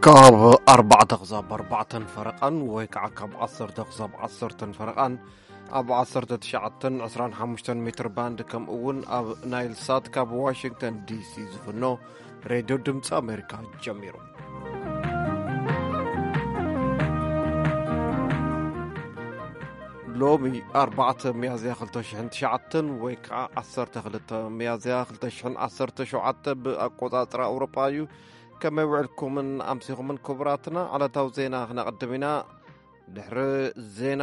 ካብ ኣርባዕተ ክሳብ ኣርባዕተን ፈረቓን ወይ ከዓ ካብ ዓሰርተ ክሳብ ዓሰርተን ፈረቓን ኣብ ዓሰርተ ትሽዓተን ዕስራን ሓሙሽተን ሜትር ባንድ፣ ከምኡ እውን ኣብ ናይል ሳት ካብ ዋሽንግተን ዲ ሲ ዝፍኖ ሬድዮ ድምፂ ኣሜሪካ ጀሚሩ። ሎሚ ኣርባዕተ ሚያዝያ ክልተ ሽሕን ትሽዓተን ወይ ከዓ ዓሰርተ ክልተ ሚያዝያ ክልተ ሽሕን ዓሰርተ ሸውዓተ ብኣቆፃፅራ ኣውሮጳ እዩ። ከመይ ውዕልኩምን ኣምሲኹምን ክቡራትና? ዕለታዊ ዜና ክነቕድም ኢና። ድሕሪ ዜና፣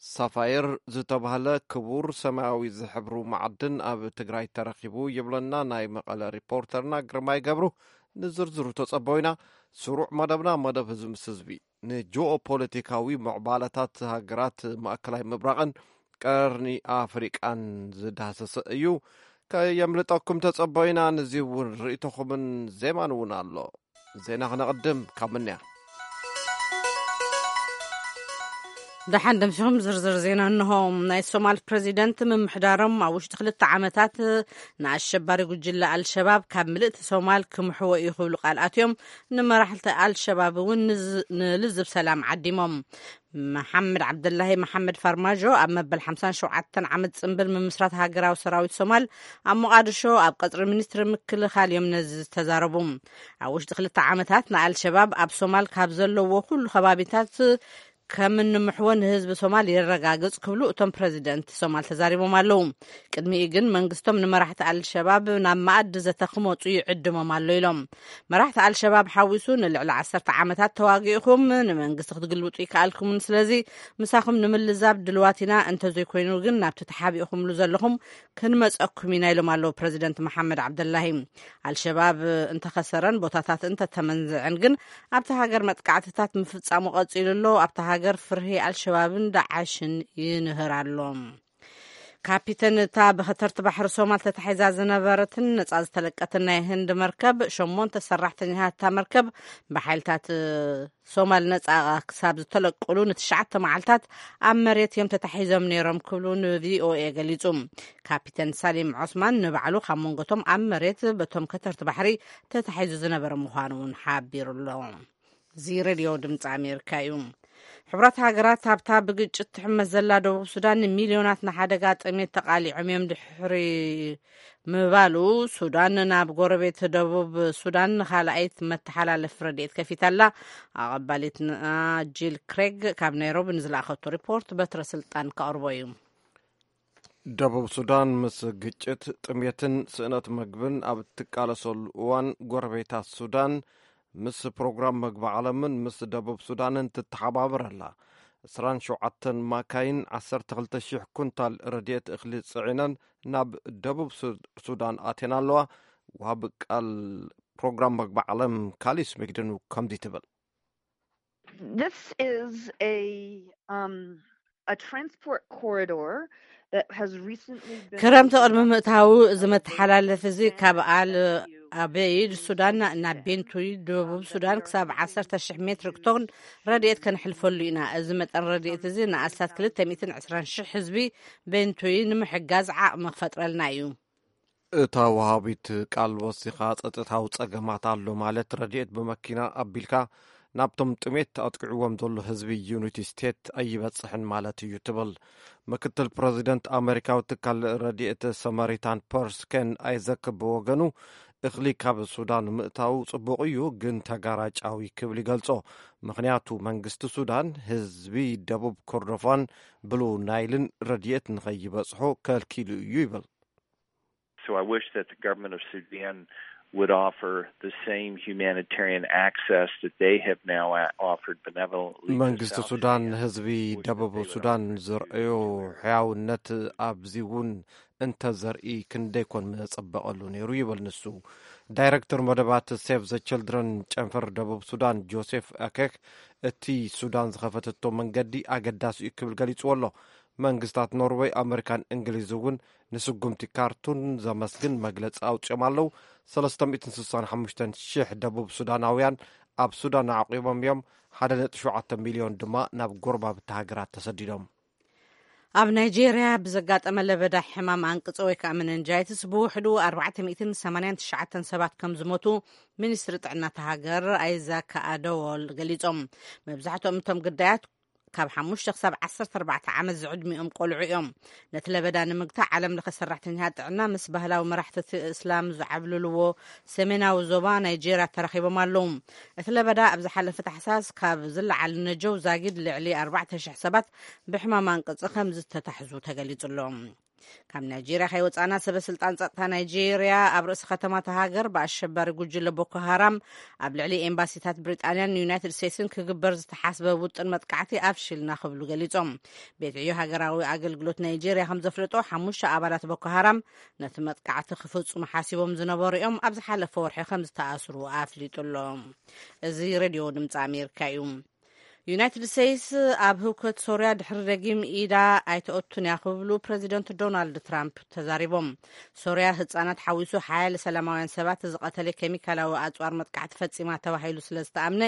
ሳፋየር ዝተባህለ ክቡር ሰማያዊ ዝሕብሩ መዓድን ኣብ ትግራይ ተረኺቡ ይብለና ናይ መቐለ ሪፖርተርና ግርማይ ገብሩ። ንዝርዝሩ ተጸበዩና። ስሩዕ መደብና፣ መደብ ህዝቢ ምስ ህዝቢ፣ ንጂኦፖለቲካዊ ምዕባለታት ሃገራት ማእከላይ ምብራቕን ቀርኒ ኣፍሪቃን ዝዳሰሰ እዩ። ከየምልጠኩም ተጸበዩና። ንዚ እውን ርእይቶኹምን ዜማን እውን ኣሎ። ዜና ክነቕድም ካብ ምንያ። ደሓን ደምሲኹም ዝርዝር ዜና እንሆ። ናይ ሶማል ፕሬዚደንት ምምሕዳሮም ኣብ ውሽጢ ክልተ ዓመታት ንኣሸባሪ ጉጅለ ኣልሸባብ ካብ ምልእቲ ሶማል ክምሕዎ እዩ ክብሉ ቃል ኣትዮም። ንመራሕቲ ኣልሸባብ እውን ንዝ-፣ ንልዝብ ሰላም ዓዲሞም። መሓመድ ዓብደላሂ መሓመድ ፋርማጆ ኣብ መበል ሓምሳን ሸውዓተን ዓመት ጽንብል ምምስራት ሃገራዊ ሰራዊት ሶማል ኣብ ሞቓድሾ ኣብ ቀጽሪ ሚኒስትሪ ምክልኻል እዮም ነዚ ዝተዛረቡ። ኣብ ውሽጢ ክልተ ዓመታት ንኣልሸባብ ኣብ ሶማል ካብ ዘለዎ ኩሉ ከባቢታት ከም እንምሕዎ ንህዝቢ ሶማል የረጋግጽ ክብሉ እቶም ፕረዚደንት ሶማል ተዛሪቦም ኣለዉ። ቅድሚኡ ግን መንግስቶም ንመራሕቲ ኣልሸባብ ናብ መኣዲ ዘተ ክመጹ ይዕድሞም ኣሎ ኢሎም። መራሕቲ ኣልሸባብ ሓዊሱ ንልዕሊ ዓሰርተ ዓመታት ተዋጊእኹም ንመንግስቲ ክትግልብጡ ይከኣልኩምን፣ ስለዚ ምሳኹም ንምልዛብ ድልዋት ኢና፣ እንተዘይኮይኑ ግን ናብቲ ተሓቢእኹምሉ ዘለኹም ክንመጸኩም ኢና ኢሎም ኣለዉ ፕረዚደንት መሓመድ ዓብደላሂ። ኣልሸባብ እንተኸሰረን ቦታታት እንተተመንዝዐን ግን ኣብቲ ሃገር መጥቃዕትታት ምፍጻሙ ቀጺሉ ኣሎ። ኣብቲ ሃገር ፍርሂ ኣልሸባብን ዳዓሽን ይንህር ኣሎ። ካፒተን እታ ብኸተርቲ ባሕሪ ሶማል ተታሒዛ ዝነበረትን ነጻ ዝተለቀትን ናይ ህንድ መርከብ፣ ሸሞንተ ሰራሕተኛታት እታ መርከብ ብሓይልታት ሶማል ነጻ ክሳብ ዝተለቅሉ ንትሽዓተ መዓልታት ኣብ መሬት እዮም ተታሒዞም ነይሮም ክብሉ ንቪኦኤ ገሊጹ። ካፒተን ሳሊም ዖስማን ንባዕሉ ካብ መንጎቶም ኣብ መሬት በቶም ከተርቲ ባሕሪ ተታሒዙ ዝነበረ ምዃኑ እውን ሓቢሩ ኣሎ። እዚ ሬድዮ ድምፂ ኣሜሪካ እዩ። ሕቡራት ሃገራት ኣብታ ብግጭት ትሕመስ ዘላ ደቡብ ሱዳን ንሚልዮናት ንሓደጋ ጥሜት ተቓሊዖም እዮም ድሕሪ ምባሉ፣ ሱዳን ናብ ጎረቤት ደቡብ ሱዳን ንኻልኣይት መተሓላለፊ ረድኤት ከፊታ ኣላ። ኣቐባሊትና ጂል ክሬግ ካብ ናይሮቢ ንዝለኣኸቶ ሪፖርት በትረ ስልጣን ከቕርቦ እዩ። ደቡብ ሱዳን ምስ ግጭት፣ ጥሜትን ስእነት መግብን ኣብ እትቃለሰሉ እዋን፣ ጎረቤታት ሱዳን ምስ ፕሮግራም መግቢ ዓለምን ምስ ደቡብ ሱዳንን ትተሓባበር ኣላ። ዕስራን ሸውዓተን ማካይን ዓሰርተ ክልተ ሺሕ ኩንታል ረድኤት እኽሊ ጽዒነን ናብ ደቡብ ሱ-፣ ሱዳን ኣትየን ኣለዋ። ወሃቢ ቃል ፕሮግራም መግቢ ዓለም ካሊስ ሚግድኑ ከምዚ ትብል። This is a, um, a transport corridor that has recently been ክረምቲ ቅድሚ ምእታዉ፣ እዚ መተሓላለፊ እዚ ካብ ኣል ኣበይድ ሱዳን ናብ ቤንቱይ ደቡብ ሱዳን ክሳብ ዓሰርተ ሽሕ ሜትሪክ ቶን ረድኤት ከነሕልፈሉ ኢና። እዚ መጠን ረድኤት እዚ ንኣስታት ክልተ ሚእትን ዕስራን ሽሕ ህዝቢ ቤንቱይ ንምሕጋዝ ዓቕሚ ክፈጥረልና እዩ። እታ ወሃቢት ቃል ወሲኻ፣ ጸጥታዊ ጸገማት ኣሎ ማለት ረድኤት ብመኪና ኣቢልካ ናብቶም ጥሜት ኣጥቂዕዎም ዘሎ ህዝቢ ዩኒቲ ስቴት ኣይበጽሕን ማለት እዩ ትብል። ምክትል ፕረዚደንት ኣመሪካዊ ትካል ረድኤት ሰማሪታን ፐርስ ኬን ኣይዘክ ብወገኑ፣ እኽሊ ካብ ሱዳን ምእታው ጽቡቕ እዩ፣ ግን ተጋራጫዊ ክብል ይገልጾ። ምኽንያቱ መንግስቲ ሱዳን ህዝቢ ደቡብ ኮርዶፋን ብሉ ናይልን ረድኤት ንኸይበጽሖ ከልኪሉ እዩ ይብል። So I wish that the government of Sudan would offer the same humanitarian access that they have now a-, offered benevolently to መንግስቲ South ሱዳን Sudan, ንህዝቢ which ደቡብ they would ሱዳን offer to ዘርእዮ their ሕያውነት ኣብዚ እውን እንተዘርኢ ክንደይ ኮን ምጸበቐሉ ነይሩ ይብል ንሱ። ዳይረክተር መደባት ሴቭ ዘ ችልድረን ጨንፈር ደቡብ ሱዳን ጆሴፍ ኣኬክ፣ እቲ ሱዳን ዝኸፈተቶ መንገዲ ኣገዳሲ እዩ ክብል ገሊጽዎ ኣሎ። መንግስታት ኖርወይ፣ ኣመሪካን እንግሊዝ እውን ንስጉምቲ ካርቱም ዘመስግን መግለጺ ኣውጺኦም ኣለዉ። ሰለስተ ሚእትን ስሳን ሓሙሽተን ሽሕ ደቡብ ሱዳናውያን ኣብ ሱዳን ኣዕቂቦም እዮም። ሓደ ነጥቢ ሸውዓተ ሚልዮን ድማ ናብ ጎረባብቲ ሃገራት ተሰዲዶም። ኣብ ናይጄርያ ብዘጋጠመ ለበዳ ሕማም ኣንቅጾ ወይ ከዓ መነንጃይትስ ብውሕዱ ኣርባዕተ ሚእትን ሰማንያን ትሽዓተን ሰባት ከም ዝሞቱ ሚኒስትሪ ጥዕና እታ ሃገር ኣይዛክ ኣደዎል ገሊጾም። መብዛሕትኦም እቶም ግዳያት ካብ ሓሙሽተ ክሳብ ዓሰርተ ኣርባዕተ ዓመት ዝዕድሚኦም ቆልዑ እዮም። ነቲ ለበዳ ንምግታእ ዓለም ለኸ ሰራሕተኛታት ጥዕና ምስ ባህላዊ መራሕቲ እስላም ዝዓብልልዎ ሰሜናዊ ዞባ ናይጄርያ ተራኺቦም ኣለዉ። እቲ ለበዳ ኣብ ዝሓለፈ ታሕሳስ ካብ ዝለዓል ነጀው ዛጊድ ልዕሊ ኣርባዕተ ሽሕ ሰባት ብሕማም ኣንቅጺ ከም ዝተታሕዙ ተገሊጹ ኣሎ። ካብ ናይጄርያ ከይወጻና ሰበ ስልጣን ጸጥታ ናይጄርያ ኣብ ርእሲ ከተማ እታ ሃገር ብኣሸባሪ ጉጅለ ቦኮ ሃራም ኣብ ልዕሊ ኤምባሲታት ብሪጣንያን ዩናይትድ ስቴትስን ክግበር ዝተሓስበ ውጥን መጥቃዕቲ ኣፍሺልና ክብሉ ገሊጾም። ቤት ዕዮ ሃገራዊ ኣገልግሎት ናይጄርያ ከም ዘፍለጦ ሓሙሽተ ኣባላት ቦኮ ሃራም ነቲ መጥቃዕቲ ክፍጽሙ ሓሲቦም ዝነበሩ እዮም ኣብ ዝሓለፈ ወርሒ ከም ዝተኣስሩ ኣፍሊጡ ኣሎ። እዚ ሬድዮ ድምፂ ኣሜሪካ እዩ። ዩናይትድ ስቴትስ ኣብ ህውከት ሶርያ ድሕሪ ደጊም ኢዳ ኣይተኦቱን እያ ክብሉ ፕሬዚደንት ዶናልድ ትራምፕ ተዛሪቦም። ሶርያ ህፃናት ሓዊሱ ሓያለ ሰላማውያን ሰባት ዝቐተለ ኬሚካላዊ ኣፅዋር መጥቃዕቲ ፈፂማ ተባሂሉ ስለ ዝተኣምነ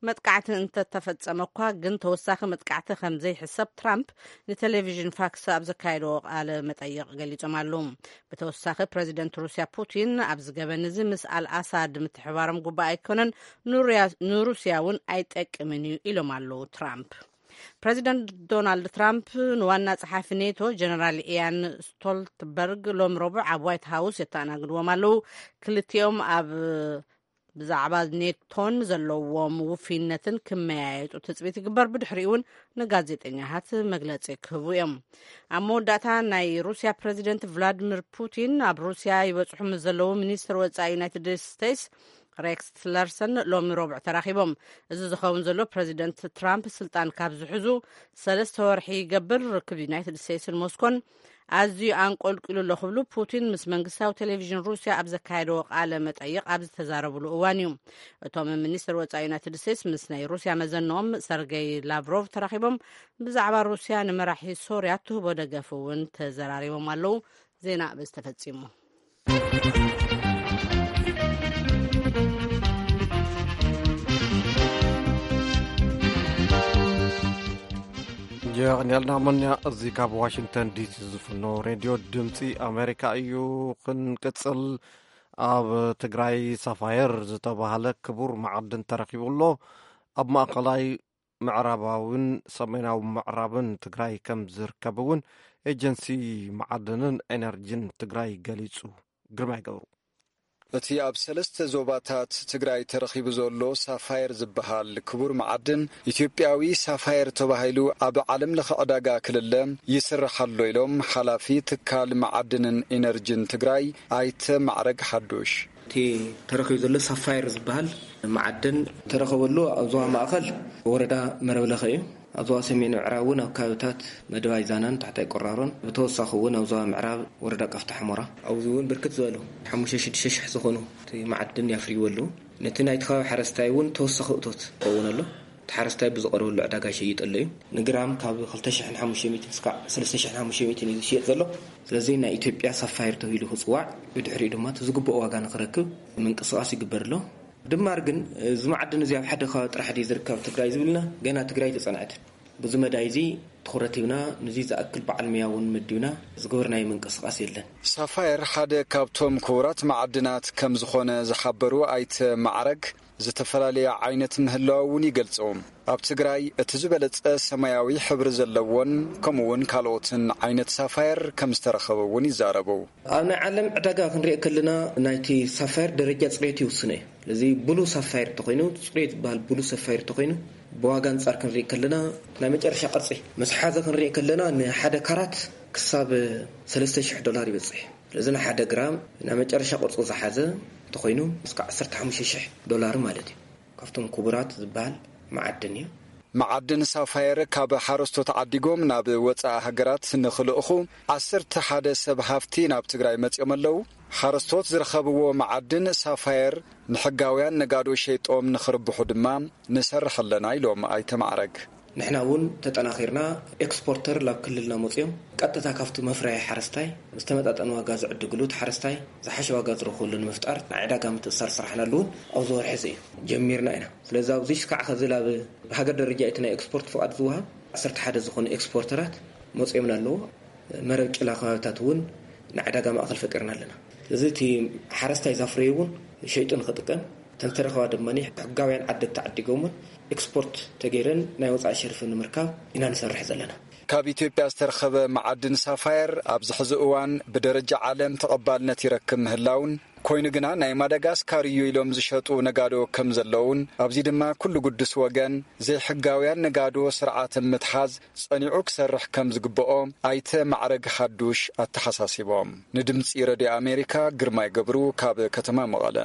መጥቃዕቲ እንተተፈፀመ እኳ ግን ተወሳኺ መጥቃዕቲ ከም ዘይሕሰብ ትራምፕ ንቴሌቪዥን ፋክስ ኣብ ዘካየድዎ ቃለ መጠይቕ ገሊፆም ኣለዉ። ብተወሳኺ ፕሬዚደንት ሩስያ ፑቲን ኣብዚ ገበን እዚ ምስ ኣልኣሳድ ምትሕባሮም ጉባእ ኣይኮነን፣ ንሩያ- ንሩስያ እውን ኣይጠቅምን እዩ ኢሎም ኣለዉ ትራምፕ። ፕሬዚደንት ዶናልድ ትራምፕ ንዋና ጸሓፊ ኔቶ ጀነራል ኢያን ስቶልትበርግ ሎም ረቡዕ ኣብ ዋይት ሃውስ የተኣናግድዎም ኣለዉ። ክልቲኦም ኣብ ብዛዕባ ኔቶን ዘለዎም ውፍይነትን ክመያየጡ ትጽቢት ይግበር። ብድሕሪኡ እውን ንጋዜጠኛታት መግለጺ ክህቡ እዮም። ኣብ መወዳእታ ናይ ሩስያ ፕሬዚደንት ቭላድሚር ፑቲን ኣብ ሩስያ ይበጽሑ ምስ ዘለዉ ሚኒስትር ወጻኢ ዩናይትድ ስቴትስ ሬክስ ቲለርሰን ሎሚ ረቡዕ ተራኺቦም። እዚ ዝኸውን ዘሎ ፕሬዚደንት ትራምፕ ስልጣን ካብ ዝሕዙ ሰለስተ ወርሒ ይገብር። ርክብ ዩናይትድ ስቴትስን ሞስኮን ኣዝዩ ኣንቆልቂሉ ኣሎ ክብሉ ፑቲን ምስ መንግስታዊ ቴሌቪዥን ሩስያ ኣብ ዘካየደዎ ቃለ መጠይቕ ኣብ ዝተዛረብሉ እዋን እዩ። እቶም ሚኒስትር ወጻኢ ዩናይትድ ስቴትስ ምስ ናይ ሩስያ መዘንኦም ሰርገይ ላቭሮቭ ተራኺቦም ብዛዕባ ሩስያ ንመራሒ ሶርያ ትህቦ ደገፍ እውን ተዘራሪቦም ኣለዉ። ዜና በዚ ተፈጺሙ። የቕንያልና መኛ። እዚ ካብ ዋሽንግተን ዲሲ ዝፍኖ ሬድዮ ድምፂ ኣሜሪካ እዩ። ክንቅፅል፣ ኣብ ትግራይ ሳፋየር ዝተባህለ ክቡር መዓድን ተረኪቡ ኣሎ። ኣብ ማእኸላይ ምዕራባውን ሰሜናዊ ምዕራብን ትግራይ ከም ዝርከብ እውን ኤጀንሲ መዓድንን ኤነርጂን ትግራይ ገሊፁ። ግርማይ ገብሩ። እቲ ኣብ ሰለስተ ዞባታት ትግራይ ተረኺቡ ዘሎ ሳፋየር ዝበሃል ክቡር መዓድን፣ ኢትዮጵያዊ ሳፋየር ተባሂሉ ኣብ ዓለም ለኸ ዕዳጋ ክልለ ይስራሕ ኣሎ ኢሎም ሓላፊ ትካል መዓድንን ኢነርጂን ትግራይ ኣይተ ማዕረግ ሓዱሽ። እቲ ተረኺቡ ዘሎ ሳፋየር ዝበሃል መዓድን ተረኸበሉ ኣብ ዞባ ማእኸል ወረዳ መረብለኸ እዩ። ኣብ ዞባ ሰሜን ምዕራብ እውን ኣብ ከባቢታት መደባይ ዛናን ታሕታይ ቆራሮን፣ ብተወሳኺ እውን ኣብ ዞባ ምዕራብ ወረዳ ቃፍታ ሕሞራ፣ ኣብዚ እውን ብርክት ዝበሉ ሓሙሽተ ሽዱሽተ ሽሕ ዝኾኑ እቲ መዓድን ያፍርይዎ ኣለዉ። ነቲ ናይቲ ከባቢ ሓረስታይ እውን ተወሳኺ እቶት ክኸውን ኣሎ። እቲ ሓረስታይ ብዝቐርበሉ ዕዳጋ ይሸይጥ ኣሎ እዩ። ንግራም ካብ ክልተ ሽሕን ሓሙሽተ ሚእትን እስካዕ ሰለስተ ሽሕን ሓሙሽተ ሚእትን እዩ ዝሽየጥ ዘሎ። ስለዚ ናይ ኢትዮጵያ ሳፋየር ተባሂሉ ክፅዋዕ፣ ብድሕሪኡ ድማ እቲ ዝግብኦ ዋጋ ንክረክብ ምንቅስቃስ ይግበር ኣሎ። ድማር ግን እዚ መዓድን እዚ ኣብ ሓደ ከባቢ ጥራሕ ድዩ ዝርከብ ኣብ ትግራይ ዝብልና፣ ገና ትግራይ ተፀንዐትን። ብዙ መዳይ እዚ ትኹረት ሂብና፣ ንዚ ዝኣክል በዓል መያ እውን መዲብና ዝገበርናዮ ምንቅስቃስ የለን። ሳፋየር ሓደ ካብቶም ክቡራት መዓድናት ከም ዝኾነ ዝሓበሩ ኣይተ ማዕረግ፣ ዝተፈላለየ ዓይነት ምህላው እውን ይገልጹ። ኣብ ትግራይ እቲ ዝበለጸ ሰማያዊ ሕብሪ ዘለዎን ከምኡ እውን ካልኦትን ዓይነት ሳፋየር ከም ዝተረኸበ እውን ይዛረቡ። ኣብ ናይ ዓለም ዕዳጋ ክንሪኦ ከለና ናይቲ ሳፋየር ደረጃ ጽሬቱ ይውስኖ እዩ። ስለዚ ብሉ ሳፋየር ተኾይኑ፣ ጽሬት ዝበሃል ብሉ ሳፋየር ተኾይኑ፣ ብዋጋ ኣንጻር ክንሪኦ ከለና ናይ መጨረሻ ቅርጺ ምስ ሓዘ ክንሪኦ ከለና ንሓደ ካራት ክሳብ ሰለስተ ሽሕ ዶላር ይበጽሕ። ስለዚ ንሓደ ግራም ናይ መጨረሻ ቅርጹ ዝሓዘ እንተኾይኑ እስካብ ዓሰርተ ሓሙሽተ ሽሕ ዶላር ማለት እዩ። ካብቶም ክቡራት ዝበሃል መዓድን እዩ። መዓድን ሳፋየር ካብ ሓረስቶት ዓዲጎም ናብ ወፃኢ ሃገራት ንኽልእኹ ዓሰርተ ሓደ ሰብ ሃፍቲ ናብ ትግራይ መፂኦም ኣለዉ። ሓረስቶት ዝረኸብዎ መዓድን ሳፋየር ንሕጋውያን ነጋዶ ሸይጦም ንኽርብሑ ድማ ንሰርሕ ኣለና ኢሎም ኣይተ ማዕረግ። ንሕና እውን ተጠናኺርና ኤክስፖርተር ናብ ክልልና መፂኦም ቀጥታ ካብቲ መፍረያ ሓረስታይ ዝተመጣጠነ ዋጋ ዝዕድግሉ፣ እቲ ሓረስታይ ዝሓሸ ዋጋ ዝረኽበሉ ንምፍጣር ናይ ዕዳጋ ምትእስሳር ስራሕና ኣለውን ኣብዚ ወርሒ እዚ እዩ ጀሚርና ኢና። ስለዚ ኣብዚ እስካዕ ከዚ ኣብ ብሃገር ደረጃ እቲ ናይ ኤክስፖርት ፍቓድ ዝወሃብ ዓሰርተ ሓደ ዝኾኑ ኤክስፖርተራት መፅኦምና ኣለዎ። መረብ ጭላ ከባቢታት እውን ንዕዳጋ ማእኸል ፈጢርና ኣለና። እዚ እቲ ሓረስታይ ዛፍረዩ እውን ሸይጡ ንኽጥቀም፣ ተንተረኸባ ድማ ሕጋውያን ዓደግቲ ዓዲጎምን ኤክስፖርት ተገይረን ናይ ወፃኢ ሸርፊ ንምርካብ ኢና ንሰርሕ ዘለና። ካብ ኢትዮጵያ ዝተረኸበ መዓድን ሳፋየር ኣብዚ ሕዚ እዋን ብደረጃ ዓለም ተቐባልነት ይረክብ ምህላውን፣ ኮይኑ ግና ናይ ማዳጋስካር እዩ ኢሎም ዝሸጡ ነጋዶ ከም ዘለውን፣ ኣብዚ ድማ ኩሉ ግዱስ ወገን ዘይሕጋውያን ነጋዶ ስርዓት ምትሓዝ ጸኒዑ ክሰርሕ ከም ዝግብኦ ኣይተ ማዕረግ ሓዱሽ ኣተሓሳሲቦም። ንድምጺ ረድዮ ኣሜሪካ ግርማይ ገብሩ ካብ ከተማ መቐለ።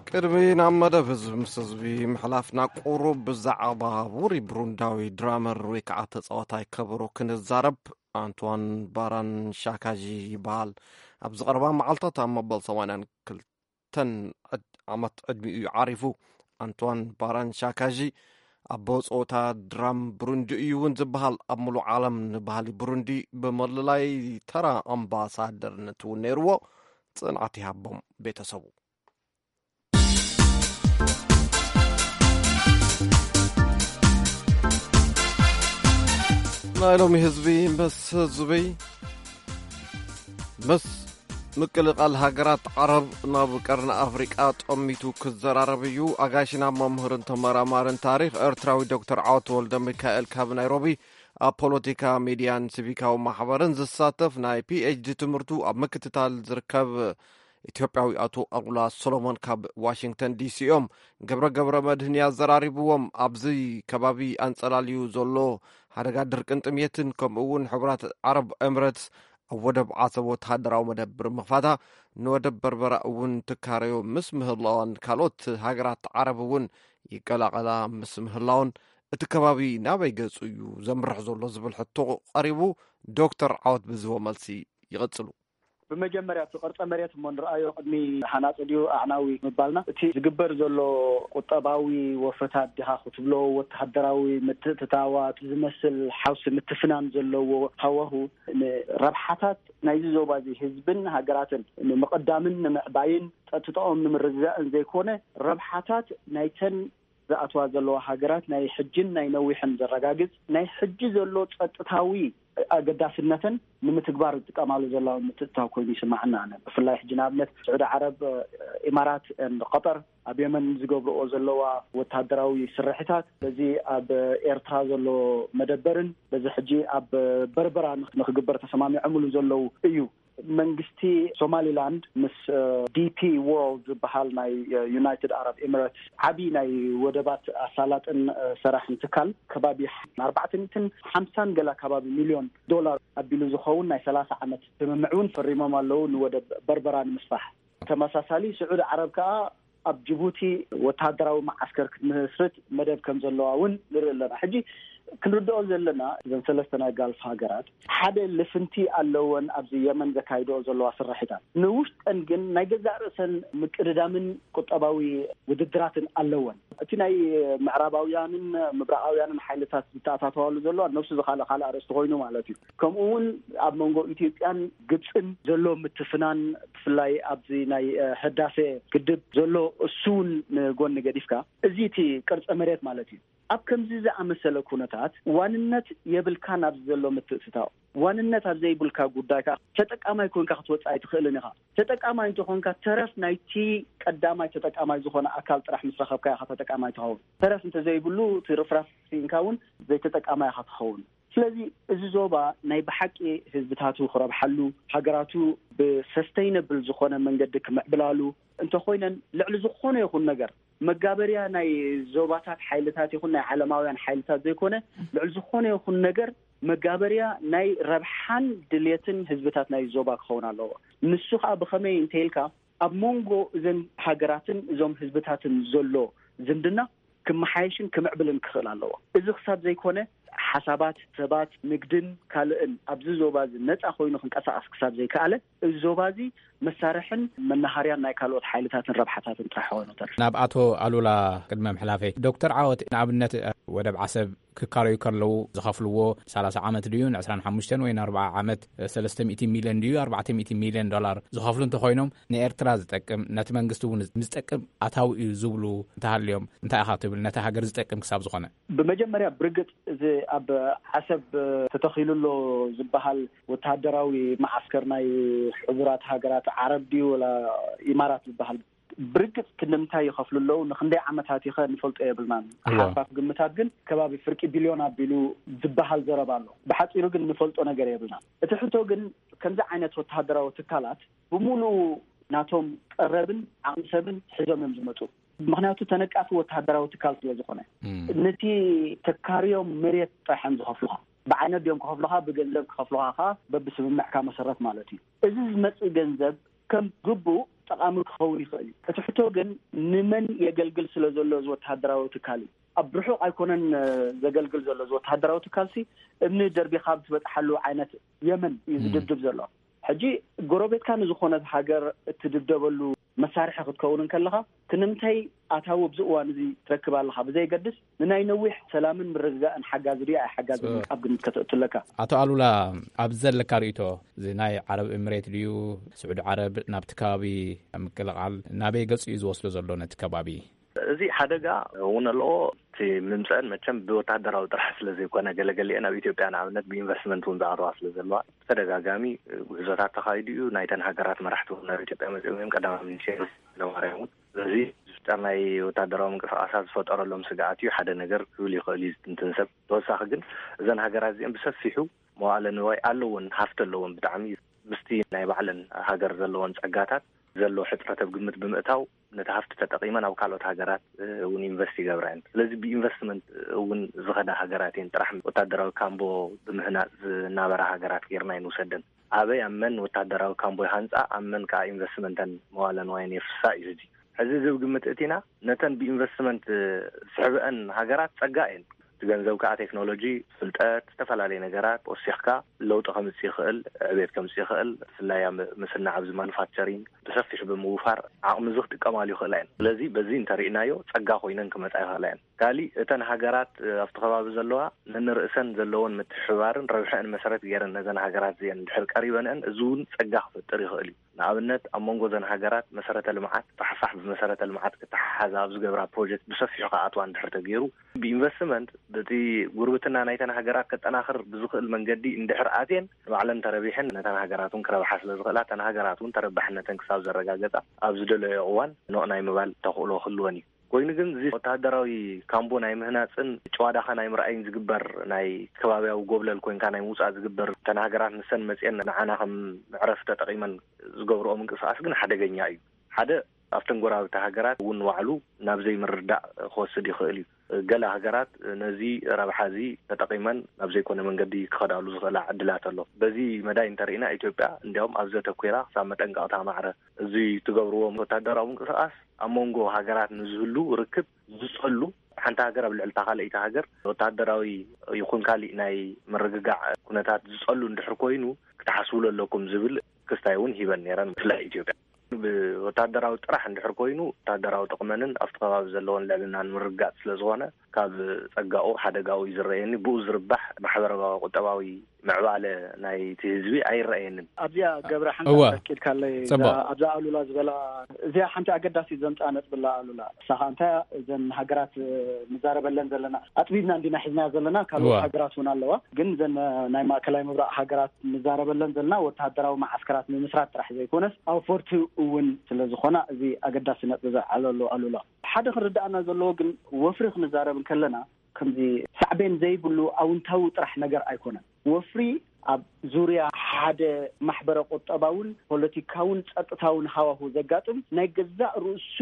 ቅድሚ ናብ መደብ ህዝቢ ምስ ህዝቢ ምሕላፍና፣ ቁሩብ ብዛዕባ ውሩይ ብሩንዳዊ ድራመር ወይ ከዓ ተጻዋታይ ከበሮ ክንዛረብ። ኣንቷን ባራን ሻካጂ ይበሃል። ኣብዚ ቀረባ መዓልታት ኣብ መበል ሰማንያን ክልተን ዓመት ዕድሚኡ እዩ ዓሪፉ። ኣንቷን ባራን ሻካጂ ኣቦ ጸወታ ድራም ብሩንዲ እዩ እውን ዝበሃል። ኣብ ምሉእ ዓለም ንባህሊ ብሩንዲ ብመለላይ ተራ ኣምባሳደርነት እውን ነይርዎ። ጽንዓት ይሃቦም ቤተሰቡ። ናይ ሎሚ ህዝቢ ምስ ህዝቢ ምስ ምቅልቃል ሃገራት ዓረብ ናብ ቀርኒ ኣፍሪቃ ጠሚቱ ክዘራረብ እዩ። ኣጋይሽና መምህርን ተመራማርን ታሪኽ ኤርትራዊ ዶክተር ዓወት ወልደ ሚካኤል ካብ ናይሮቢ፣ ኣብ ፖለቲካ፣ ሚድያን ሲቪካዊ ማሕበርን ዝሳተፍ፣ ናይ ፒኤችዲ ትምህርቱ ኣብ ምክትታል ዝርከብ ኢትዮጵያዊ ኣቶ ኣሉላ ሶሎሞን ካብ ዋሽንግተን ዲሲ እዮም። ገብረ ገብረ መድህን ያዘራሪብዎም። ኣብዚ ከባቢ ኣንጸላልዩ ዘሎ ሓደጋ ድርቅን ጥምየትን፣ ከምኡ እውን ሕቡራት ዓረብ ኤምሬትስ ኣብ ወደብ ዓሰብ ወተሃደራዊ መደብር ምኽፋታ፣ ንወደብ በርበራ እውን ትካረዮ ምስ ምህላዋን፣ ካልኦት ሃገራት ዓረብ እውን ይቀላቐላ ምስ ምህላውን፣ እቲ ከባቢ ናበይ ገጹ እዩ ዘምርሕ ዘሎ ዝብል ሕቶ ቀሪቡ፣ ዶክተር ዓወት ብዝቦ መልሲ ይቐጽሉ። ብመጀመርያ እቲ ቅርጸ መሬት እሞ ንርኣዮ ቅድሚ ሃናጺ ድዩ ኣዕናዊ ምባልና፣ እቲ ዝግበር ዘሎ ቁጠባዊ ወፈታት ድኻ ክትብሎ፣ ወተሃደራዊ ምትእትታዋት ዝመስል ሓውሲ ምትፍናን ዘለዎ ሃዋሁ፣ ንረብሓታት ናይዚ ዞባ እዚ ህዝብን ሃገራትን ንምቕዳምን ንምዕባይን ጸጥታኦም ንምርግጋእን ዘይኮነ፣ ረብሓታት ናይተን ዝኣትዋ ዘለዋ ሃገራት ናይ ሕጅን ናይ ነዊሕን ዘረጋግጽ፣ ናይ ሕጂ ዘሎ ጸጥታዊ ኣገዳስነተን ንምትግባር ዝጥቀማሉ ዘለዋ ምትእትታው ኮይኑ ይስማዓና። ኣነ ብፍላይ ሕጂ ንኣብነት ስዑዲ ዓረብ፣ ኢማራት፣ ቀጠር ኣብ የመን ዝገብርኦ ዘለዋ ወታደራዊ ስርሒታት፣ በዚ ኣብ ኤርትራ ዘሎ መደበርን በዚ ሕጂ ኣብ በርበራ ንኽ-፣ ንኽግበር ተሰማሚዖምሉ ዘለዉ እዩ። መንግስቲ ሶማሊላንድ ምስ፣ እ፣ ዲ ፒ ወርልድ ዝበሃል ናይ፣ እ፣ ዩናይትድ ኣረብ ኤሚሬትስ ዓቢ ናይ ወደባት ኣሳላጥን፣ እ፣ ሰራሕን ትካል ከባቢ ኣርባዕተ ሚእትን ሓምሳን ገላ ከባቢ ሚልዮን ዶላር ኣቢሉ ዝኸውን ናይ ሰላሳ ዓመት ስምምዕ እውን ፈሪሞም ኣለዉ ንወደብ በርበራ ንምስፋሕ። ተመሳሳሊ ስዑዲ ዓረብ ከኣ ኣብ ጅቡቲ ወተሃደራዊ መዓስከር ክትምስርት መደብ ከም ዘለዋ እውን ንርኢ ኣለና። ሕጂ ክንርድኦ ዘለና እዘን ሰለስተ ናይ ጋልፍ ሃገራት ሓደ ልፍንቲ ኣለወን ኣብዚ የመን ዘካይድኦ ዘለዋ ስርሒታት። ንውሽጠን ግን ናይ ገዛእ ርእሰን ምቅድዳምን ቁጠባዊ ውድድራትን ኣለወን። እቲ ናይ ምዕራባውያንን ምብራቓውያንን ሓይልታት ዝተኣታተዋሉ ዘሎ ነብሱ ዝኻለ ካልእ ኣርእስቲ ኮይኑ ማለት እዩ። ከምኡ እውን ኣብ መንጎ ኢትዮጵያን ግብፅን ዘሎ ምትፍናን፣ ብፍላይ ኣብዚ ናይ፣ እ፣ ህዳሴ ግድብ ዘሎ እሱ እውን ንጎኒ ገዲፍካ፣ እዚ እቲ ቅርፀ መሬት ማለት እዩ። ኣብ ከምዚ ዝኣመሰለ ኩነታት ዋንነት የብልካን ኣብዚ ዘሎ ምትእትታው። ዋንነት ኣብ ዘይብልካ ጉዳይ ከዓ ተጠቃማይ ኮይንካ ክትወፅእ ኣይትኽእልን ኢኻ። ተጠቃማይ እንተኾንካ ተረፍ ናይቲ ቀዳማይ ተጠቃማይ ዝኾነ ኣካል ጥራሕ ምስ ረኸብካ ኢኻ ተጠቃማይ ትኸውን። ተረፍ እንተዘይብሉ እቲ ርፍራፍ ስኢንካ እውን ዘይተጠቃማይ ኢኻ ትኸውን። ስለዚ እዚ ዞባ ናይ ብሓቂ ህዝብታቱ ክረብሓሉ፣ ሃገራቱ ብሰስተይነብል ዝኾነ መንገዲ ክምዕብላሉ እንተኾይነን፣ ልዕሊ ዝኾነ ይኹን ነገር መጋበርያ ናይ ዞባታት ሓይልታት ይኹን ናይ ዓለማውያን ሓይልታት ዘይኮነ፣ ልዕሊ ዝኾነ ይኹን ነገር መጋበርያ ናይ ረብሓን ድሌትን ህዝብታት ናይ ዞባ ክኸውን ኣለዎ። ንሱ ኸኣ ብኸመይ እንተ ኢልካ፣ ኣብ መንጎ እዘን ሃገራትን እዞም ህዝብታትን ዘሎ ዝምድና ክመሓየሽን ክምዕብልን ክኽእል ኣለዎ። እዚ ክሳብ ዘይኮነ፣ ሓሳባት ሰባት፣ ንግድን ካልእን ኣብዚ ዞባ እዚ ነፃ ኮይኑ ክንቀሳቐስ ክሳብ ዘይከኣለ፣ እዚ ዞባ እዚ መሳርሕን መናሃርያን ናይ ካልኦት ሓይልታትን ረብሓታትን ጥራሕ ኮይኑ ተርፍ። ናብ ኣቶ ኣሉላ ቅድሚ ምሕላፈይ፣ ዶክተር ዓወት ንኣብነት ወደብ ዓሰብ ክካረዩ ከለዉ ዝኸፍልዎ ሰላሳ ዓመት ድዩ፣ ን ዕስራን ሓሙሽተን ወይ ን ኣርባዓ ዓመት ሰለስተ ሚእቲ ሚልዮን ድዩ፣ ኣርባዕተ ሚእቲ ሚልዮን ዶላር ዝኸፍሉ እንተኾይኖም፣ ንኤርትራ ዝጠቅም፣ ነቲ መንግስቲ እውን ዝጠቅም ኣታዊ እዩ ዝብሉ እንተሃልዮም፣ እንታይ ኢኻ ትብል? ነታ ሃገር ዝጠቅም ክሳብ ዝኾነ። ብመጀመርያ ብርግጽ እዚ ኣብ ዓሰብ ተተኺሉ ኣሎ ዝበሃል ወተሃደራዊ መዓስከር ናይ ሕቡራት ሃገራት ዓረብ ድዩ ወላ ኢማራት ዝበሃል፣ ብርግጽ ክንደምንታይ ይኸፍሉ ኣለዉ፣ ንክንደይ ዓመታት ይኸ ንፈልጦ የብልናን። እዋ። ሓርፋፍ ግምታት ግን ከባቢ ፍርቂ ቢልዮን ኣቢሉ ዝበሃል ዘረባ ኣሎ። ብሓጺሩ ግን ንፈልጦ ነገር የብልናን። እቲ ሕቶ ግን ከምዚ ዓይነት ወተሃደራዊ ትካላት ብምሉኡ ናቶም ቀረብን ዓቕሚ ሰብን ሒዞም እዮም ዝመጹ። ምኽንያቱ ተነቃፊ ወተሃደራዊ ትካል ስለ ዝኾነ። እም። ነቲ ተካርዮም መሬት ጥራሕ እዮም ዝኸፍሉኻ። ብዓይነት ድዮም ክኸፍሉኻ፣ ብገንዘብ ክኸፍሉኻ ኸዓ በብስምምዕካ መሰረት ማለት እዩ። እዚ ዝመጽእ ገንዘብ ከም ግቡእ ጠቓሚ ክኸውን ይኽእል እዩ። እቲ ሕቶ ግን ንመን የገልግል ስለ ዘሎ እዚ ወተሃደራዊ ትካል እዩ። ኣብ ርሑቕ ኣይኮነን፣ እ፣ ዘገልግል ዘሎ እዚ ወተሃደራዊ ትካልሲ እምኒ ደርቢኻ ኣብ ትበጽሓሉ ዓይነት የመን እዩ እም። ዝድብድብ ዘሎ። ሕጂ ጎረቤትካ ንዝኾነት ሃገር እትድብደበሉ መሳርሒ ክትከውን እንከለኻ ክንምንታይ ኣታዊ ኣብዚ እዋን እዚ ትረክብ ኣለኻ ብዘይገድስ ንናይ ነዊሕ ሰላምን ምርግጋእን ሓጋዚ ድዩ ኣይሓጋዝን እ- ኣብ ግምት ከተእቱ ኣለካ። ኣቶ ኣሉላ፣ ኣብ ዘለካ ርእይቶ እዚ ናይ ዓረብ ኤምሬት ድዩ ስዑዲ ዓረብ ናብቲ ከባቢ ምቅልቓል ናበይ ገጹ እዩ ዝወስዶ ዘሎ ነቲ ከባቢ? እዚ ሓደጋ እውን ኣለዎ። እቲ ምምፀአን መቸም ብወታደራዊ ጥራሕ ስለ ዘይኮነ፣ ገለገሊአን ኣብ ኢትዮጵያ ንኣብነት ብኢንቨስትመንት እውን ዝኣተዋ ስለ ዘለዋ፣ ብተደጋጋሚ ጉዕዞታት ተኻይዱ እዩ። ናይተን ሃገራት መራሕቲ እውን ናብ ኢትዮጵያ መፂኦም እዮም። ቀዳማዊ ሚኒስቴር ኃይለማርያም እውን። ስለዚ ዝፍጠር ናይ ወታደራዊ ምንቅስቃሳት ዝፈጠረሎም ስግኣት እዩ ሓደ ነገር ክብል ይኽእል እዩ ዝትንትን ሰብ። ተወሳኺ ግን እዘን ሃገራት እዚአን ብሰፊሑ መዋእለ ንዋይ ኣለዎን ሃፍቲ ኣለዎን፣ ብጣዕሚ ምስቲ ናይ ባዕለን ሃገር ዘለዎን ጸጋታት ዘሎ ሕጽረት ኣብ ግምት ብምእታው፣ ነቲ ሃፍቲ ተጠቒመን ኣብ ካልኦት ሃገራት እውን ኢንቨስት ይገብራ እየን። ስለዚ ብኢንቨስትመንት እውን ዝኸዳ ሃገራት እየን። ጥራሕ ወታደራዊ ካምቦ ብምህናጽ ዝናበራ ሃገራት ጌርና ኣይንውሰደን። ኣበይ ኣብ መን ወታደራዊ ካምቦ ይሃንጻ፣ ኣብ መን ከኣ ኢንቨስትመንተን መዋለ ንዋየን የፍስሳ እዩ ሕጂ። ሕዚ እዚ ኣብ ግምት እቲና፣ ነተን ብኢንቨስትመንት ዝስሕብአን ሃገራት ጸጋ እየን። እቲ ገንዘብ ከኣ ቴክኖሎጂ፣ ፍልጠት፣ ዝተፈላለየ ነገራት ወሲኽካ ለውጢ ከምጽእ ይኽእል፣ ዕቤት ከምጽእ ይኽእል። ብፍላይ ኣብ ምስናዕ ኣብዚ ማኑፋክቸሪንግ ብሰፊሑ ብምውፋር ዓቕሚ እዚ ክጥቀማሉ ይኽእላ እየን። ስለዚ በዚ እንተሪእናዮ ጸጋ ኮይነን ክመጻ ይኽእላ እየን። ካሊእ እተን ሃገራት፣ እ፣ ኣብቲ ከባቢ ዘለዋ ነንርእሰን ዘለወን ምትሕብባርን ረብሐአን መሰረት ገይረን ነዘን ሃገራት እዚአን እንድሕር ቀሪበንአን፣ እዚ እውን ጸጋ ክፈጥር ይኽእል እዩ። ንኣብነት ኣብ መንጎ እዘን ሃገራት መሰረተ ልምዓት ፋሕፋሕ ብመሰረተ ልምዓት ክተሓሓዛ ኣብ ዝገብራ ፕሮጀክት ብሰፊሑ ክኣትዋ እንድሕር ተገይሩ፣ ብኢንቨስትመንት በቲ ጉርብትና ናይተን ሃገራት ከጠናኽር ብዝኽእል መንገዲ እንድሕር ኣትየን ንባዕለን ተረቢሐን ነተን ሃገራት እውን ክረብሓ ስለ ዝኽእላ፣ እተን ሃገራት እውን ተረባሕነተን ክሳብ ዘረጋገጻ ኣብ ዝደለዮ እዋን ኖቕ ናይ ምባል ተኽእሎ ክህልወን እዩ። ኮይኑ ግን እዚ ወተሃደራዊ ካምቦ ናይ ምህናጽን ጭዋዳኻ ናይ ምርኣይን ዝግበር ናይ ከባቢያዊ ጎብለል ኮንካ ናይ ምውጻእ ዝግበር፣ እተን ሃገራት ንሰን መጽየን ንዓና ከም መዕረፊ ተጠቒመን ዝገብርኦ ምንቅስቓስ ግን ሓደገኛ እዩ። ሓደ ኣብተን ጎረባብቲ ሃገራት እውን ንባዕሉ ናብ ዘይምርዳእ ክወስድ ይኽእል እዩ። ገለ ሃገራት ነዚ ረብሓ እዚ ተጠቒመን ናብ ዘይኮነ መንገዲ ክኸዳሉ ዝኽእላ ዕድላት ኣሎ። በዚ መዳይ እንተርኢና ኢትዮጵያ እንዲያውም ኣብዚ ኣተኲራ ክሳብ መጠንቀቕታ ማዕረ እዚ ትገብርዎ ወታደራዊ ምንቅስቓስ ኣብ መንጎ ሃገራት ንዝህሉ ርክብ ዝጸሉ፣ ሓንቲ ሃገር ኣብ ልዕሊ እታ ካልኣይቲ ሃገር ወታደራዊ ይኹን ካሊእ ናይ ምርግጋዕ ኩነታት ዝጸሉ እንድሕር ኮይኑ ክትሓስብሉ ኣለኩም ዝብል ክስታይ እውን ሂበን ነይረን። ብፍላይ ኢትዮጵያ ብወታደራዊ ጥራሕ እንድሕር ኮይኑ ወታደራዊ ጥቕመንን ኣብቲ ከባቢ ዘለዎን ልዕልናን ምርግጋጽ ስለ ዝኾነ ካብ ጸጋኡ ሓደጋኡ እዩ ዝረኣየኒ። ብኡ ዝርባሕ ማሕበራዊ ቁጠባዊ ምዕባለ ናይቲ ህዝቢ ኣይረኣየንን። ኣብዚኣ ገብረ ሓንሳብ እወ። ተኪልካለይ፣ ጽቡቕ። እዛ ኣብዛ ኣሉላ ዝበላ፣ እዚኣ ሓንቲ ኣገዳሲት ዘምጽኣ ነጥቢ ኣላ ኣሉላ። እሳ ኸኣ እንታይ እያ? እዘን ሃገራት፣ እ፣ ንዛረበለን ዘለና፣ ኣጥቢብና እንዲና ሒዝናያ ዘለና፣ ካልኦት እወ። ሃገራት እውን ኣለዋ። ግን እዘን፣ እ፣ ናይ ማእከላይ ምብራቕ ሃገራት ንዛረበለን ዘለና ወተሃደራዊ መዓስከራት ምምስራት ጥራሕ ዘይኮነስ፣ ኣውፈርቲ እውን ስለ ዝኾና፣ እዚ ኣገዳሲ ነጥቢ ዘልዓለሉ ኣሉላ። ሓደ ክርድኣና ዘለዎ ግን ወፍሪ ክንዛረብ እንከለና፣ ከምዚ ሳዕቤን ዘይብሉ ኣውንታዊ ጥራሕ ነገር ኣይኮነን። ወፍሪ ኣብ ዙርያ ሓደ ማሕበረ ቁጠባውን ፖለቲካውን ጸጥታውን ሃዋሁ ዘጋጥም ናይ ገዛእ ርእሱ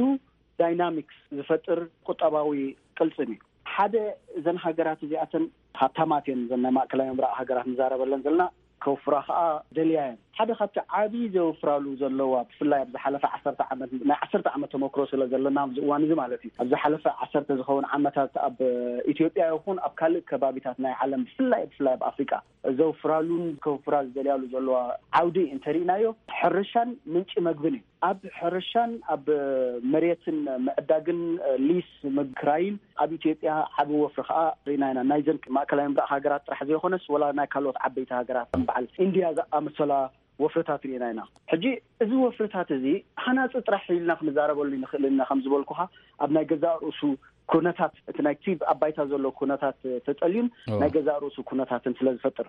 ዳይናሚክስ ዝፈጥር ቁጠባዊ ቅልጽም እዩ። ሓደ እዘን ሃገራት እዚኣተን ሃብታማት እየን፣ እዘን ናይ ማእከላይ ምብራቕ ሃገራት ንዛረበለን ዘለና፣ ከውፍራ ኸኣ ደልያ እየን። ሓደ ካብቲ ዓብዪ ዘውፍራሉ ዘለዋ፣ ብፍላይ ኣብ ዝሓለፈ ዓሰርተ ዓመት፣ ናይ ዓሰርተ ዓመት ተመክሮ ስለ ዘለና ኣብዚ እዋን እዚ ማለት እዩ፣ ኣብ ዝሓለፈ ዓሰርተ ዝኸውን ዓመታት ኣብ ኢትዮጵያ ይኹን ኣብ ካልእ ከባቢታት ናይ ዓለም፣ ብፍላይ ብፍላይ ኣብ ኣፍሪቃ ዘውፍራሉን ከውፍራ ዝደልያሉ ዘለዋ ዓውዲ እንተሪእናዮ፣ ሕርሻን ምንጪ መግብን እዩ። ኣብ ሕርሻን ኣብ መሬትን ምዕዳግን፣ ሊስ ምክራይን ኣብ ኢትዮጵያ ዓቢ ወፍሪ ከዓ ርኢና ኢና። ናይዘን ማእከላይ ምብራቕ ሃገራት ጥራሕ ዘይኮነስ፣ ወላ ናይ ካልኦት ዓበይቲ ሃገራት ከም በዓል ኢንድያ ዝኣመሰላ ወፍርታት ርኢና ኢና። ሕጂ እዚ ወፍርታት እዚ ሃናጺ ጥራሕ ኢልና ክንዛረበሉ ንኽእል ኢና። ከም ዝበልኩኻ፣ ኣብ ናይ ገዛእ ርእሱ ኩነታት፣ እቲ ናይቲ ኣብ ባይታ ዘሎ ኩነታት ተጸልዩን ናይ ገዛእ ርእሱ ኩነታትን ስለ ዝፈጥር፣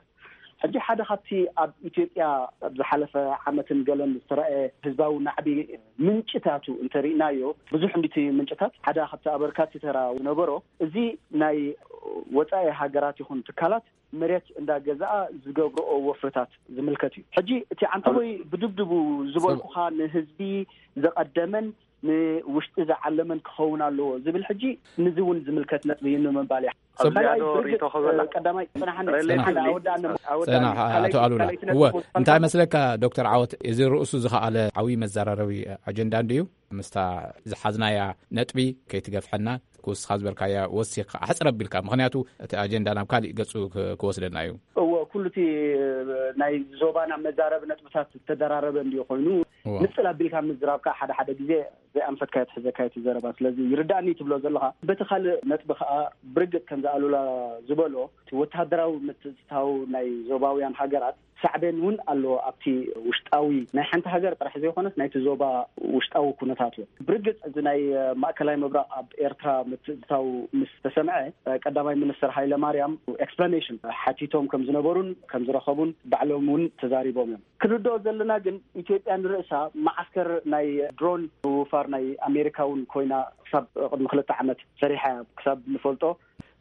ሕጂ ሓደ ካብቲ ኣብ ኢትዮጵያ ኣብ ዝሓለፈ ዓመትን ገለን ዝተረኣየ ህዝባዊ ናዕቢ ምንጭታቱ እንተሪእናዮ፣ ብዙሕ እንዲቲ ምንጭታት ሓደ ካብቲ ኣበርካቲ ተራ ዝነበሮ፣ እዚ ናይ ወጻኢ ሃገራት ይኹን ትካላት መሬት እንዳገዛኣ ዝገብርኦ ወፍርታት ዝምልከት እዩ። ሕጂ እቲ ዓንተቦይ ብድብድቡ ዝበልኩኻ ንህዝቢ ዘቐደመን ንውሽጢ ዝዓለመን ክኸውን ኣለዎ ዝብል፣ ሕጂ ንዚ እውን ዝምልከት ነጥቢ እዩ ንምባል እያ። ኣብዚኣ ዶ ሪኢቶ ክህበላ? ቀዳማይ ጽናሓኒ፣ ጽናሓኒ፣ ኣወዳእኒ፣ ኣወዳእኒ። ጽናሕ፣ ኣቶ ኣሉላ። ካልኣይቲ እወ፣ እንታይ መስለካ ዶክተር ዓወት፣ እዚ ርእሱ ዝኸኣለ ዓብዪ መዘራረቢ ኣጀንዳ እንድዩ። ምስታ ዝሓዝናያ ነጥቢ ከይትገፍሐና፣ ክውስኻ ዝበልካያ ወሲኽካ ኣሕጽር ኣቢልካ፣ ምኽንያቱ እቲ ኣጀንዳ ናብ ካሊእ ገጹ ክ-፣ ክወስደና እዩ። እወ፣ ኩሉ እቲ ናይ ዞባና መዛረቢ ነጥብታት ዝተደራረበ እንድዩ ኮይኑ፣ እወ። ንጽል ኣቢልካ ምዝራብ ከዓ ሓደ ሓደ ግዜ ዘይኣንፈትካዮ ትሕዘካዮ እቲ ዘረባ። ስለዚ ይርዳእኒ ትብሎ ዘለኻ። በቲ ካልእ ነጥቢ ከዓ ብርግጽ ከምዚ ኣሉላ ዝበሎ፣ እቲ ወተሃደራዊ ምትእትታው ናይ ዞባውያን ሃገራት ሳዕቤን እውን ኣለዎ ኣብቲ ውሽጣዊ ናይ ሓንቲ ሃገር ጥራሕ ዘይኮነስ ናይቲ ዞባ ውሽጣዊ ኩነታት እውን። ብርግጽ እዚ ናይ ማእከላይ ምብራቕ ኣብ ኤርትራ ምትእትታው ምስ ተሰምዐ፣ ቀዳማይ ሚኒስትር ሃይለ ማርያም ኤክስፕላኔሽን ሓቲቶም ከም ዝነበሩን ከም ዝረኸቡን ባዕሎም እውን ተዛሪቦም እዮም። ክንርድኦ ዘለና ግን ኢትዮጵያ ንርእሳ መዓስከር ናይ ድሮን ምውፋር ናይ ኣሜሪካ እውን ኮይና ክሳብ ቅድሚ ክልተ ዓመት ሰሪሓ እያ ክሳብ ንፈልጦ።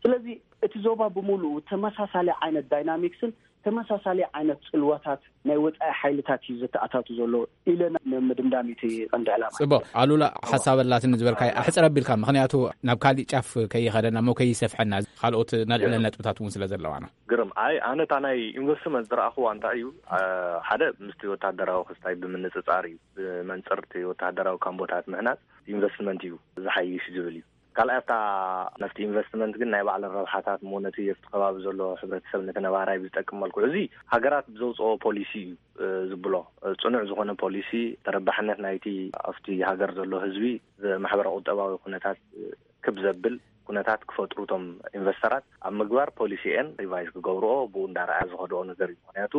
ስለዚ እቲ ዞባ ብምሉኡ ተመሳሳሊ ዓይነት ዳይናሚክስን ተመሳሳሊ ዓይነት ጽልዋታት ናይ ወጻኢ ሓይልታት እዩ ዘተኣታቱ ዘሎ ኢለ ን-፣ ንምድምዳም እዩ እቲ ቀንዲ ዕላማ። ጽቡቕ። ኣሉላ፣ ሓሳብ ኣላትኒ ዝበልካዮ ኣሕጽር ኣቢልካ፣ ምኽንያቱ ናብ ካሊእ ጫፍ ከይኸደና እሞ ከይሰፍሐና፣ ካልኦት ነልዕለን ነጥብታት እውን ስለ ዘለዋና። ግርም። ኣይ፣ ኣነ እታ ናይ ኢንቨስትመንት ዝረኣኽዋ እንታይ እዩ፣ ኣ፣ ሓደ ምስቲ ወታደራዊ ክስታይ ብምንጽጻር እዩ። ብመንጽር እቲ ወታደራዊ ካምቦታት ምህናጽ ኢንቨስትመንት እዩ ዝሓይሽ ዝብል እዩ። ካልኣይ፣ ኣብታ፣ ነፍቲ ኢንቨስትመንት ግን ናይ ባዕለን ረብሓታት እሞ ነቲ ኣብቲ ከባቢ ዘሎ ሕብረተሰብ ነቲ ነባራይ ብዝጠቅም መልክዑ፣ እዚ ሃገራት ብዘውፅኦ ፖሊሲ እዩ፣ እ፣ ዝብሎ። እ፣ ፅኑዕ ዝኾነ ፖሊሲ፣ ተረባሕነት ናይቲ ኣብቲ ሃገር ዘሎ ህዝቢ፣ እ፣ ማሕበረ ቁጠባዊ ኩነታት፣ እ፣ ክብ ዘብል ኩነታት ክፈጥሩ እቶም ኢንቨስተራት ኣብ ምግባር ፖሊሲኤን ሪቫይዝ ክገብርኦ ብኡ እንዳረኣያ ዝኸድኦ ነገር እዩ። ምኽንያቱ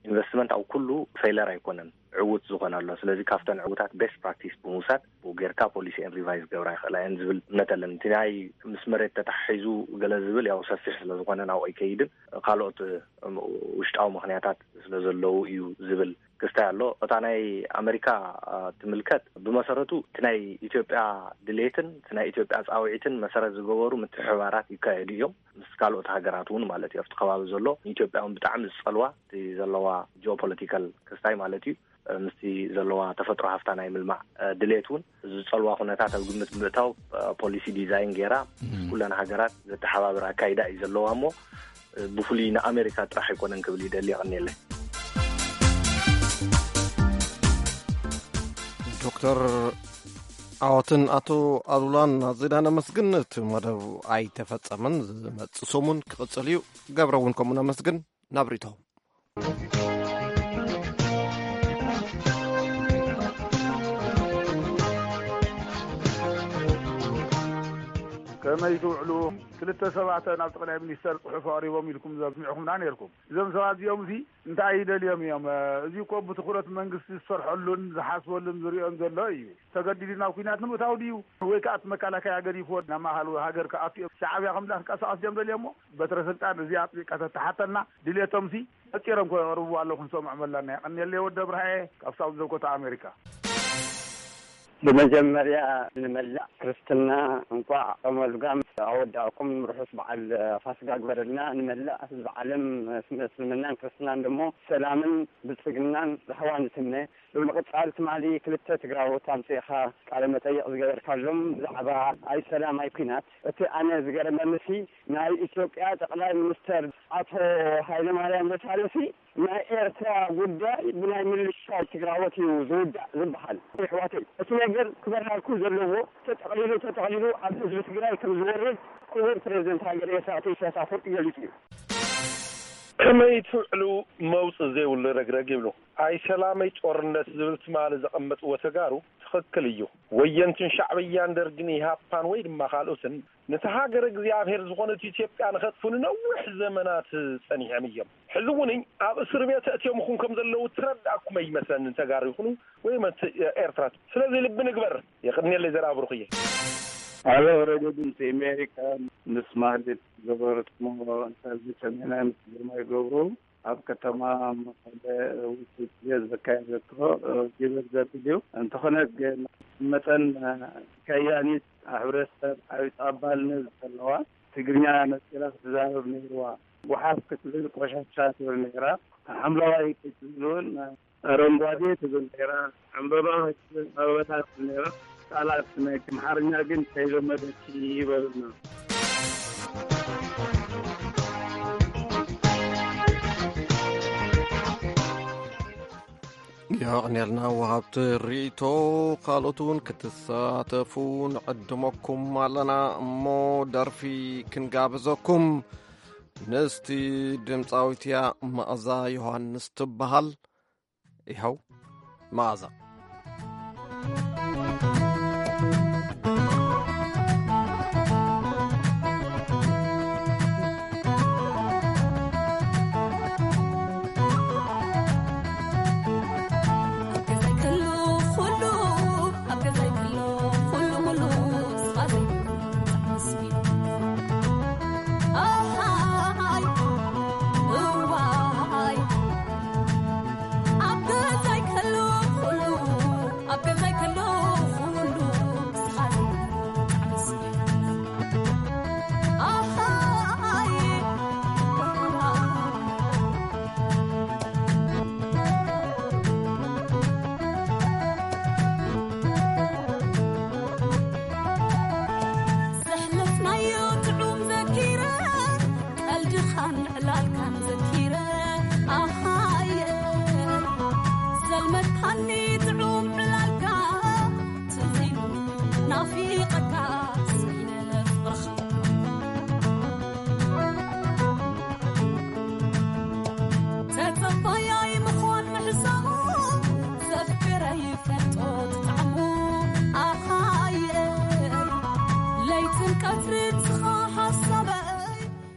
ኢንቨስትመንት ኣብ ኩሉ ፌለር ኣይኮነን፣ ዕውት ዝኾነ ኣሎ። ስለዚ ካብተን ዕውታት ቤስት ፕራክቲስ ብምውሳድ ብኡ ጌርካ ፖሊሲኤን ሪቫይዝ ገብራ ይኽእላ እየን ዝብል እምነት ኣለኒ። እቲ ናይ ምስ መሬት ተተሓሒዙ ገለ ዝብል ያው ሰፊሕ ስለ ዝኾነ ናብኡ ኣይከይድን። ካልኦት፣ እም፣ ውሽጣዊ ምኽንያታት ስለ ዘለዉ እዩ ዝብል ክስታይ ኣሎ። እታ ናይ ኣመሪካ፣ አ፣ ትምልከት፣ ብመሰረቱ እቲ ናይ ኢትዮጵያ ድሌትን እቲ ናይ ኢትዮጵያ ጻውዒትን መሰረት ዝገበሩ ምትሕብባራት ይካየዱ እዮም። ምስ ካልኦት ሃገራት እውን ማለት እዩ። ኣብቲ ከባቢ ዘሎ ንኢትዮጵያ እውን ብጣዕሚ ዝጸልዋ፣ እቲ ዘለዋ ጂኦፖለቲካል ክስታይ ማለት እዩ፣ ምስቲ ዘለዋ ተፈጥሮ ሃፍታ ናይ ምልማዕ፣ እ፣ ድሌት እውን ዝጸልዋ ኩነታት ኣብ ግምት ብምእታው፣ እ፣ ፖሊሲ ዲዛይን ገይራ ምስ ኩለን ሃገራት ዘተሓባብር ኣካይዳ እዩ ዘለዋ እሞ፣ እ፣ ብፍሉይ ንኣሜሪካ ጥራሕ ኣይኮነን ክብል ይደሊ። የቐንየለይ። ዶክተር ዓወትን ኣቶ ኣሉላን ኣዚና ነመስግን። እቲ መደብ ኣይተፈጸመን፣ ዝመጽእ ሰሙን ክቕጽል እዩ። ገብረ እውን ከምኡ ነመስግን። ናብ ሪቶ። ከመይ ትውዕሉ? ክልተ ሰባት ናብ ጠቕላይ ሚኒስተር ጽሑፍ ኣቕሪቦም ኢልኩም ዘስሚዕኹምና ነይርኩም። እዞም ሰባት እዚኦም እዚ እንታይ ይደልዮም እዮም? እዚ እኮ ብትኹረት መንግስቲ ዝሰርሐሉን ዝሓስበሉን ዝርእዮን ዘሎ እዩ። ተገዲዱ ናብ ኲናት ንምእታው ድዩ? ወይ ከኣ እቲ መከላከያ ገዲፍዎ ናብ ማእኸል ሃገር ክኣቱ እዮም? ሻዕብያ ከም ክንቀሳቐስ ድዮም ደልዮሞ? በትረ ስልጣን እዚኣ ኣጥቢቕካ ተተሓተልና፣ ድሌቶምሲ ፈጢሮም ከቕርብዎ ኣለዉ ክንሰምዖም ኣለና። የቐንየለይ ወዲ ኣብርሃየ ካብ ሳውዝ ዳኮታ ኣሜሪካ። ብመጀመርያ ንመላእ ክርስትና እንቋዕ ጾመ ልጓም ኣወዳእኩም፣ ርሑስ በዓል ፋስጋ ግበረልና። ንመላእ ህዝቢ ዓለም፣ እስልምናን ክርስትናን ደሞ ሰላምን ብልጽግናን ራህዋን ይትምነ። ብምቕጻል ትማሊ ክልተ ትግራዎት ኣምጺእኻ ቃለ መጠይቕ ዝገበርካሎም ብዛዕባ ኣይ ሰላም ኣይ ኲናት፣ እቲ ኣነ ዝገረመኒሲ ናይ ኢትዮጵያ ጠቕላይ ሚኒስተር ኣቶ ሃይለማርያም ደሳለሲ ናይ ኤርትራ ጉዳይ ብናይ ምልሻ ትግራዎት እዩ ዝውዳእ ዝበሃል። ኣሕዋተይ፣ እቲ ነገር ክበርሃልኩም ዘለዎ፣ ተጠቕሊሉ ተጠቕሊሉ ኣብ ህዝቢ ትግራይ ከም ዝወርድ ክቡር ፕሬዚደንት ሃገር ኤርትራ ኣቶ ኢሳያስ ኣፈወርቂ ገሊጹ እዩ። ከመይ ትውዕሉ መውጽእ ዘይብሉ ረግረግ ይብሉ። ኣይ ሰላመይ ጦርነት ዝብል ትማሊ ዘቐመጥዎ ተጋሩ ትኽክል እዩ። ወየንትን ሻዕብያን ደርግን ኢሃፓን ወይ ድማ ካልኦትን ነቲ ሃገር እግዚኣብሔር ዝኾነት ኢትዮጵያ ንኸጥፉ ንነዊሕ ዘመናት ጸኒሖም እዮም። ሕዚ እውን ኣብ እስር ቤት ኣእትዮምኹም ከም ዘለዉ ትረድኣኩም ኣይመስለንን፣ ተጋሩ ይኹኑ ወይ መት-፣ ኤርትራ። ስለዚ ልቢ ንግበር። የቕንየለይ ዘርኣ ብሩኽየ። ኣሎ ረገድ ምስ ኣሜሪካ ምስ ማለት ገበረትሞ እንታዚ ሰሜናይ ምስ ግርማ ይገብሩ ኣብ ከተማ መቐለ ውፅኢት ዘካየደቶ ግብር ዘብል እዩ። እንተኾነ ግን መጠን ከያኒት ሕብረተሰብ ዓብዪ ተቐባልነት ዘለዋ ትግርኛ ነፂራ ክትዛረብ ነይርዋ። ጓሓፍ ክትብል ቆሻሻ ትብል ነይራ። ሓምለዋይ ክትብል እውን ኣረንጓዴ ትብል ነይራ። ዕምበባ ክትብል ኣበባታት ትብል ነይራ። ቃላት ናይ ኣምሓርኛ ግን ከይለመደት ይበሉና። የቕንየልና ወሃብቲ ርእይቶ። ካልኦት እውን ክትሳተፉ ንዕድመኩም ኣለና እሞ ደርፊ ክንጋብዘኩም። ንስቲ ድምፃዊት እያ፣ መኣዛ ዮሃንስ ትበሃል። ይኸው መኣዛ።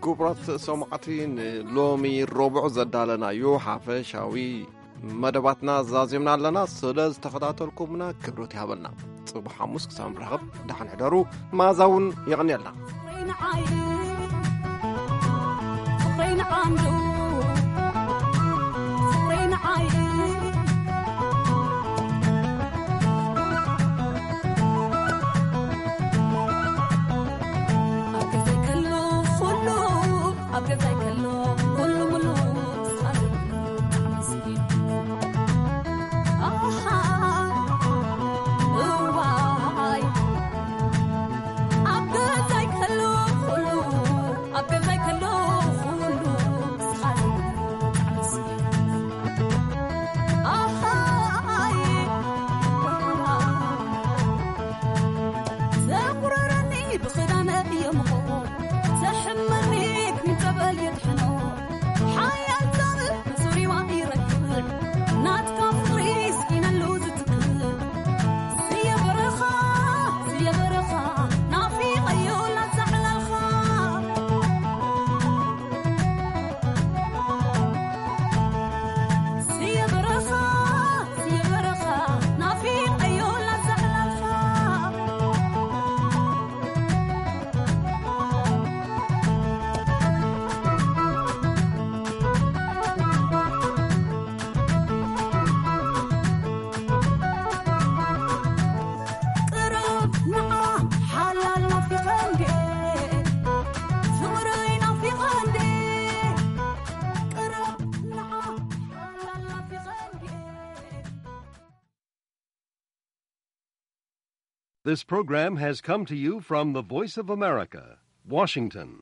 ክቡራት ሰማዕቲ፣ ንሎሚ ረቡዕ ዘዳለናዮ ሓፈሻዊ መደባትና ዛዚምና ኣለና። ስለ ዝተኸታተልኩምና ክብረት ይሃበልና። ጽቡሕ ሓሙስ ክሳብ ንራኸብ ደሓን ሕደሩ። መኣዛ እውን የቐንየልና። This program has come to you from the Voice of America, Washington.